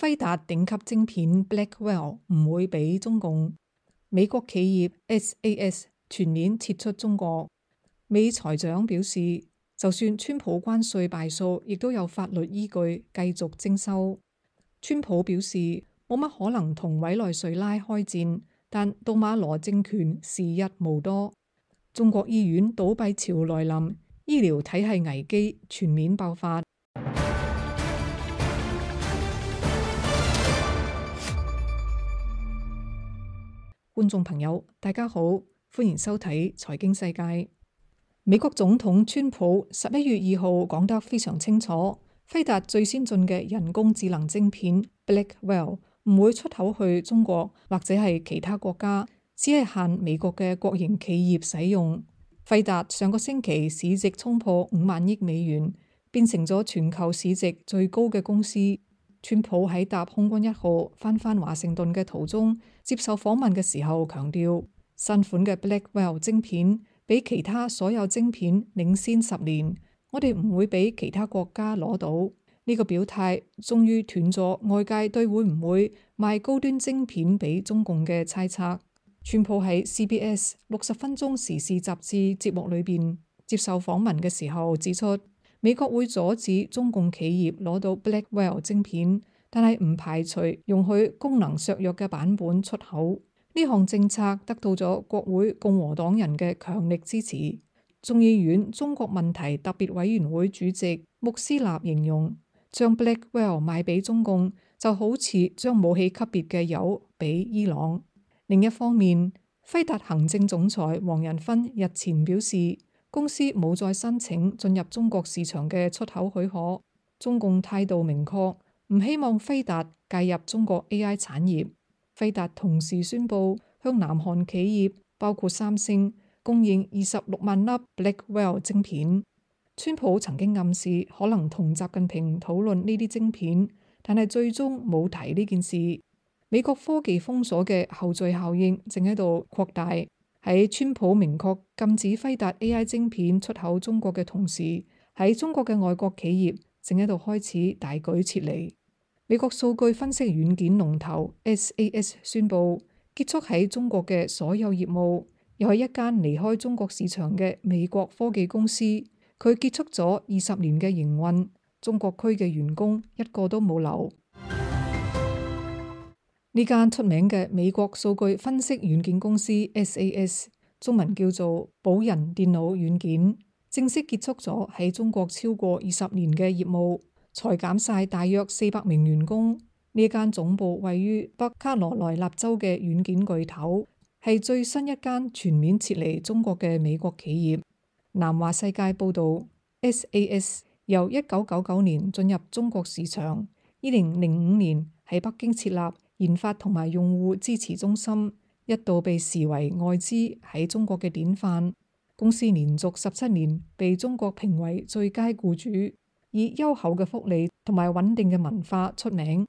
輝達頂級晶片 Blackwell 唔會俾中共。美國企業 SAS 全面撤出中國。美財長表示，就算川普關稅敗訴，亦都有法律依據繼續徵收。川普表示冇乜可能同委內瑞拉開戰，但杜馬羅政權時日無多。中國醫院倒閉潮來臨，醫療體系危機全面爆發。觀眾朋友，大家好，歡迎收睇財經世界。美國總統川普11月2號講得非常清楚，輝達最先進嘅人工智能晶片 Blackwell 唔會出口去中國或者係其他國家，只係限美國嘅國營企業使用。輝達上個星期市值衝破5萬億美元，變成咗全球市值最高嘅公司。川普喺搭空軍1號返華盛頓嘅途中接受訪問嘅時候強調，新款嘅 Blackwell 晶片比其他所有晶片領先10年，我哋唔會俾其他國家攞到。呢個表態終於斷咗外界對會唔會賣高端晶片俾中共嘅猜測。川普喺 CBS 60分鐘時事雜誌節目裏邊接受訪問嘅時候指出，美國會阻止中共企業攞到 Blackwell 晶片，但係唔排除容許功能削弱嘅版本出口。呢項政策得到咗國會共和黨人嘅強力支持。眾議院中國問題特別委員會主席穆斯納形容，將 Blackwell 賣俾中共就好似將武器級別嘅鈾俾伊朗。另一方面，輝達行政總裁黃仁勳日前表示，公司冇再申請進入中國市場嘅出口許可。中共態度明確，唔希望輝達介入中國 AI 產業。輝達同時宣布向南韓企業包括三星供應26萬粒 Blackwell 晶片。川普曾經暗示可能同習近平討論呢啲晶片，但係最終冇提呢件事。美國科技封鎖嘅後續效應正喺度擴大。喺川普明確禁止輝達 AI 晶片出口中國嘅同時，喺中國嘅外國企業正喺度開始大舉撤離。美國數據分析軟件龍頭 SAS 宣布結束喺中國嘅所有業務，又係一間離開中國市場嘅美國科技公司。佢結束咗20年嘅營運，中國區嘅員工一個都冇留。呢間出名嘅美國數據分析軟件公司 SAS， 中文叫做寶人電腦軟件，正式結束咗喺中國超過20年嘅業務，裁減晒大約400名員工。呢間總部位於北卡羅來納州嘅軟件巨頭，係最新一間全面撤離中國嘅美國企業。南華世界報道， SAS 由1999年進入中國市場，2005年喺北京設立研發同埋用戶支持中心，一度被視為外資喺中國嘅典範。公司連續17年被中國評為最佳僱主，以優厚嘅福利同埋穩定嘅文化出名。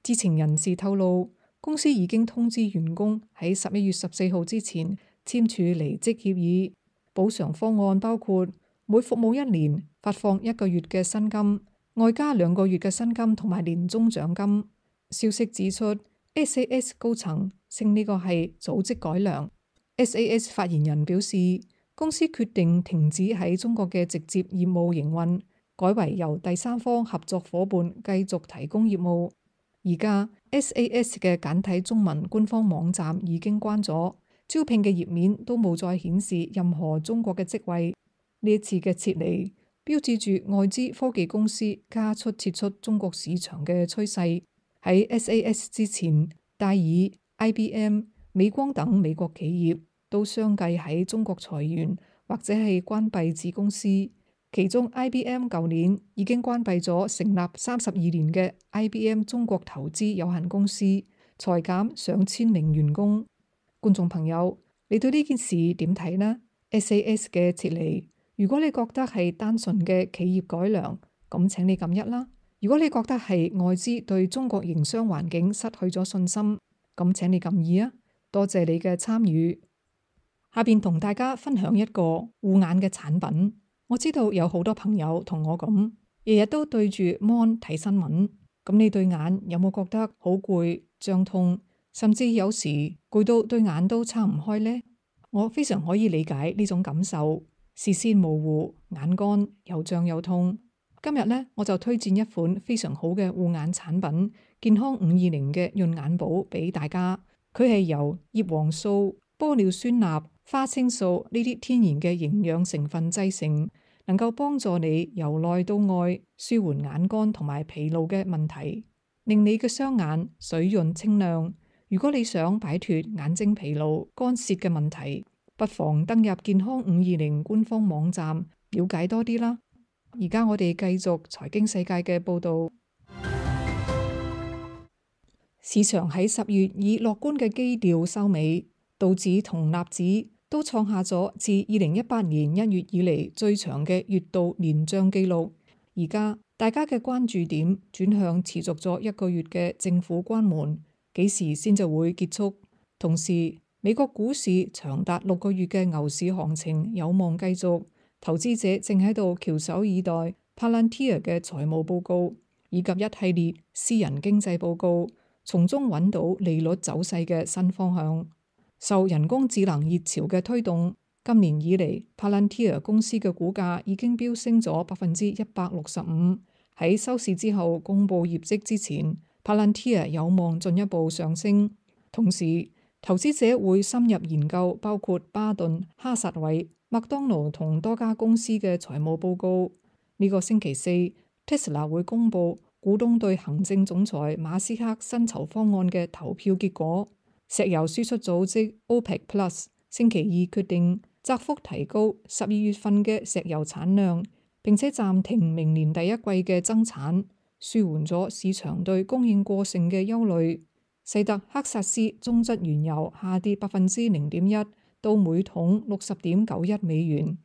知情人士透露，公司已經通知員工喺11月14號之前簽署離職協議。補償方案包括每服務1年發放1個月嘅薪金，外加2個月嘅薪金同埋年終獎金。消息指出，SAS 高層稱呢個係組織改良。SAS 發言人表示，公司決定停止喺中國嘅直接業務營運，改為由第三方合作夥伴繼續提供業務。而家 SAS 嘅簡體中文官方網站已經關咗，招聘嘅頁面都冇再顯示任何中國嘅職位。呢一次嘅撤離標誌住外資科技公司加速撤出中國市場嘅趨勢。喺 SAS 之前，戴爾、IBM、美光等美國企業都相繼喺中國裁員或者係關閉子公司。其中 IBM 舊年已經關閉咗成立32年嘅 IBM 中國投資有限公司，裁減上千名員工。觀眾朋友，你對呢件事點睇呢？ SAS 嘅撤離，如果你覺得係單純嘅企業改良，咁請你撳1啦。如果你覺得係外資對中國營商環境失去咗信心，咁請你撳2啊！多謝你嘅參與。下邊同大家分享一個護眼嘅產品。我知道有好多朋友同我咁，日日都對住 Mon 睇新聞，咁你對眼有冇覺得好攰、脹痛，甚至有時攰到對眼都撐唔開呢？我非常可以理解呢種感受，視線模糊、眼乾又脹又痛。今日呢，我就推薦一款非常好嘅護眼產品——健康520嘅潤眼寶俾大家。佢係由葉黃素、玻尿酸鈉、花青素呢啲天然嘅營養成分製成，能夠幫助你由內到外舒緩眼乾同埋疲勞嘅問題，令你嘅雙眼水潤清亮。如果你想擺脫眼睛疲勞、乾澀嘅問題，不妨登入健康520官方網站了解多啲啦。而家我哋繼續財經世界嘅報道。市場喺10月以樂觀嘅基調收尾，道指同納指都創下咗自2018年1月以嚟最長嘅月度連漲紀錄。而家大家嘅關注點轉向持續咗1個月嘅政府關門，幾時先就會結束？同時，美國股市長達6個月嘅牛市行情有望繼續。投資者正喺度翹首以待 Palantir 嘅財務報告，以及一系列私人經濟報告，從中揾到利率走勢嘅新方向。受人工智能熱潮嘅推動，今年以嚟 Palantir 公司嘅股價已經飆升咗165%。喺收市之後公佈業績之前，Palantir 有望進一步上升。同時，投資者會深入研究包括巴頓、哈撒韋、麥當勞同多家公司嘅財務報告。呢個星期四，Tesla 會公佈股東對行政總裁馬斯克薪酬方案嘅投票結果。石油輸出組織 OPEC Plus 星期二決定窄幅提高12月份嘅石油產量，並且暫停明年第一季嘅增產，舒緩咗市場對供應過剩嘅憂慮。西德克薩斯中質原油下跌0.1%到每桶60.91美元，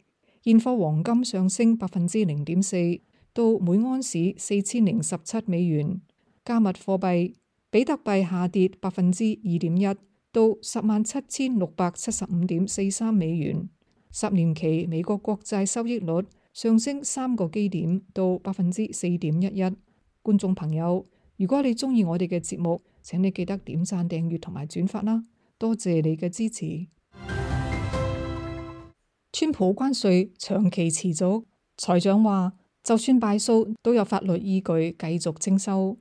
現貨黃金上升0.4%到每安士4017美元。加密貨幣比特幣下跌2.1%到107,675.43美元。10年期美國國債收益率上升3個基點到4.11%。觀眾朋友，如果你中意我哋嘅節目，請你記得點讚、訂閱同埋轉發啦，多謝你嘅支持。川普關稅長期持續，財長話就算敗訴都有法律依據繼續徵收。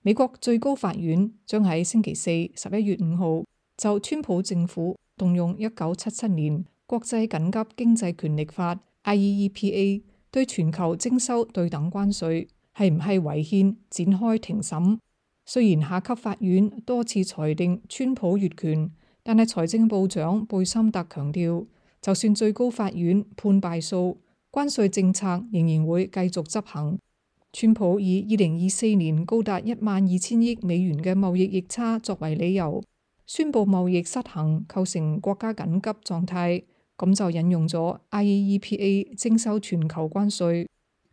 美國最高法院將喺星期四11月5號就川普政府動用1977年國際緊急經濟權力法 IEEPA 對全球徵收對等關稅係唔係違憲展開庭審。雖然下級法院多次裁定川普越權，但係財政部長貝森特強調，就算最高法院判敗訴，關稅政策仍然會繼續執行。川普以2024年高達12000億美元嘅貿易逆差作為理由，宣布貿易失衡構成國家緊急狀態，咁就引用咗 IEEPA 徵收全球關稅。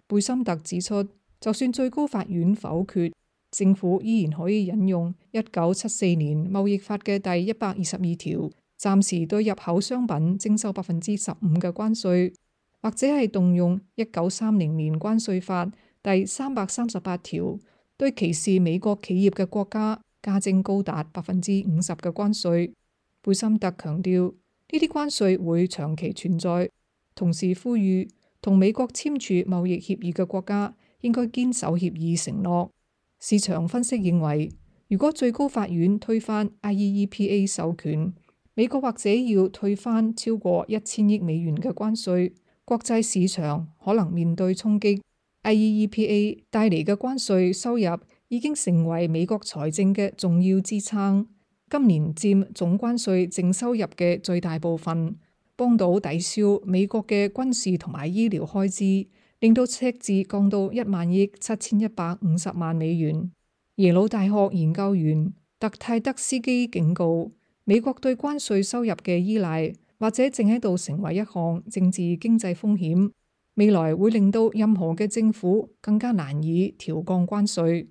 貝森特指出，就算最高法院否決，政府依然可以引用1974年貿易法嘅第122條，暫時對入口商品徵收15%嘅關稅，或者係動用1930年關稅法第338條，對歧視美國企業嘅國家加徵高達50%嘅關稅。貝森特強調，呢啲關稅會長期存在，同時呼籲同美國簽署貿易協議嘅國家應該堅守協議承諾。市場分析認為，如果最高法院推翻 IEEPA 授權，美國或者要退翻超過1000億美元嘅關稅，國際市場可能面對衝擊。IEEPA 帶嚟嘅關稅收入已經成為美國財政嘅重要支撐，今年佔總關稅淨收入嘅最大部分，幫到抵消美國嘅軍事同埋醫療開支，令到赤字降到1萬億7150萬美元。耶魯大學研究員特泰德斯基警告，美國對關稅收入嘅依賴或者正喺度成為一項政治經濟風險，未來會令到任何嘅政府更加難以調降關稅。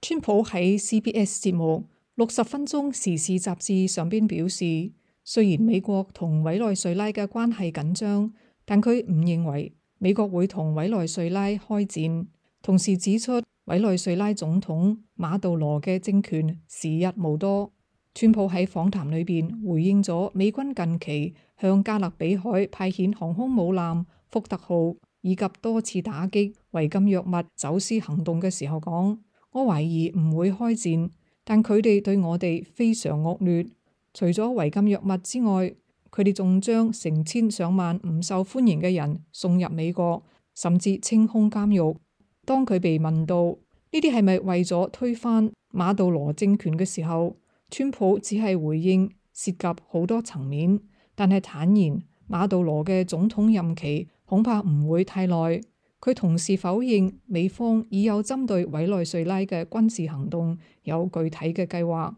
川普喺 CBS 節目60分鐘時事雜誌上邊表示，雖然美國同委內瑞拉嘅關係緊張，但佢唔認為美國會同委內瑞拉開戰。同時指出委內瑞拉總統馬杜羅嘅政權時日無多。川普喺訪談裏邊回應咗美軍近期向加勒比海派遣航空母艦福特號以及多次打擊違禁藥物走私行動嘅時候講：我懷疑唔會開戰，但佢哋對我哋非常惡劣。除咗違禁藥物之外，佢哋仲將成千上萬唔受歡迎嘅人送入美國，甚至清空監獄。當佢被問到呢啲係咪為咗推翻馬杜羅政權嘅時候，川普只係回應涉及好多層面，但係坦言馬杜羅嘅總統任期恐怕唔會太耐。佢同時否認美方已有針對委內瑞拉嘅軍事行動有具體嘅計劃。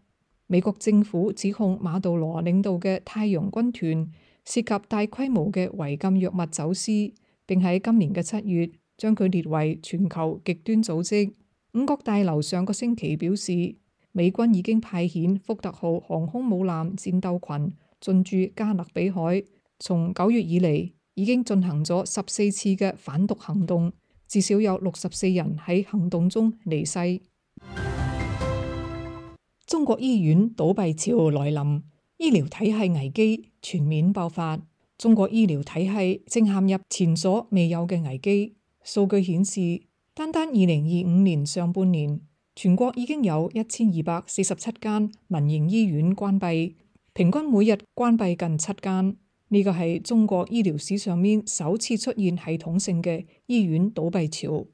美國政府指控馬杜羅領導嘅太陽軍團涉及大規模嘅違禁藥物走私，並喺今年嘅7月將佢列為全球極端組織。五角大樓上個星期表示，美軍已經派遣福特號航空母艦戰鬥群進駐加勒比海，從9月以嚟已經進行咗14次嘅反毒行動，至少有64人喺行動中離世。中國醫院倒閉潮來臨，醫療體系危機全面爆發。中國醫療體系正陷入前所未有嘅危機。數據顯示，單2025年上半年，全國已經有1247間民營醫院關閉，平均每日關閉近7間。呢個係中國醫療史上面首次出現系統性嘅醫院倒閉潮。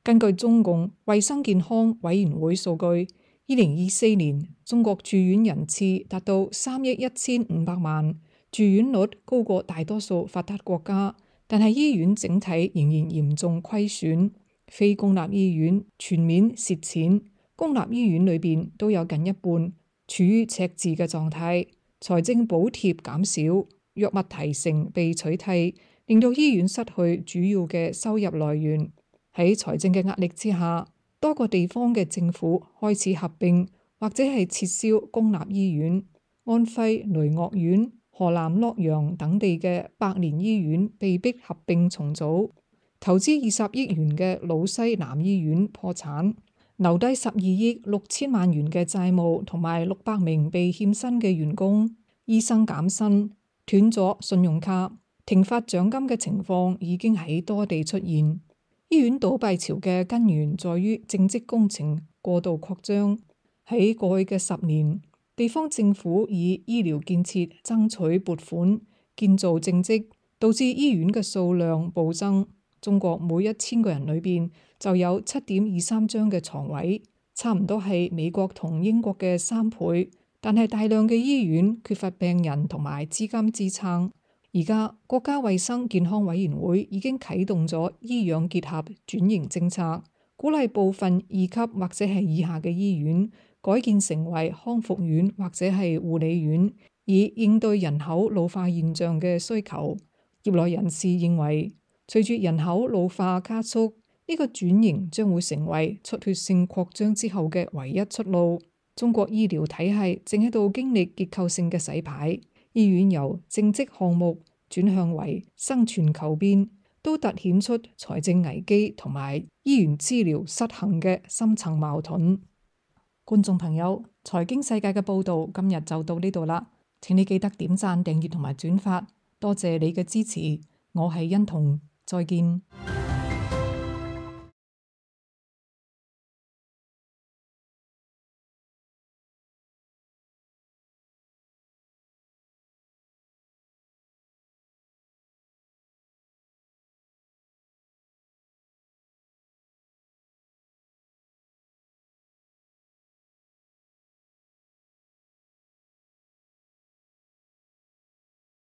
根據中共衛生健康委員會數據，2024年中國住院人次達到3億1500萬，住院率高過大多數發達國家，但係醫院整體仍然嚴重虧損，非公立醫院全面蝕錢，公立醫院裏邊都有近一半處於赤字嘅狀態，財政補貼減少，藥物提成被取締，令到醫院失去主要嘅收入來源。喺財政嘅壓力之下，多個地方嘅政府開始合併或者係撤銷公立醫院。安徽雷岳縣、河南洛陽等地嘅百年醫院被迫合併重組。投資20億元嘅魯西南醫院破產，留低12億6千萬元嘅債務同埋600名被欠薪嘅員工。醫生減薪，斷咗信用卡，停發獎金嘅情況已經喺多地出現。醫院倒閉潮嘅根源在於政績工程過度擴張。喺過去嘅10年，地方政府以醫療建設爭取撥款，建造政績，導致醫院嘅數量暴增。中國每1000個人裏邊就有7.23張嘅床位，差唔多係美國同英國嘅3倍。但係大量嘅醫院缺乏病人同埋資金支撐。而家國家衛生健康委員會已經啟動咗醫養結合轉型政策，鼓勵部分2級或者係以下嘅醫院改建成為康復院或者係護理院，以應對人口老化現象嘅需求。業內人士認為，隨住人口老化加速，呢個轉型將會成為出血性擴張之後嘅唯一出路。中國醫療體系正喺度經歷結構性嘅洗牌，醫院由政績項目轉向為生存求變，都凸顯出財政危機同埋醫院資療失衡嘅深層矛盾。觀眾朋友，財經世界嘅報道今日就到呢度啦，請你記得點讚、訂閱同埋轉發，多謝你嘅支持。我係欣彤，再見。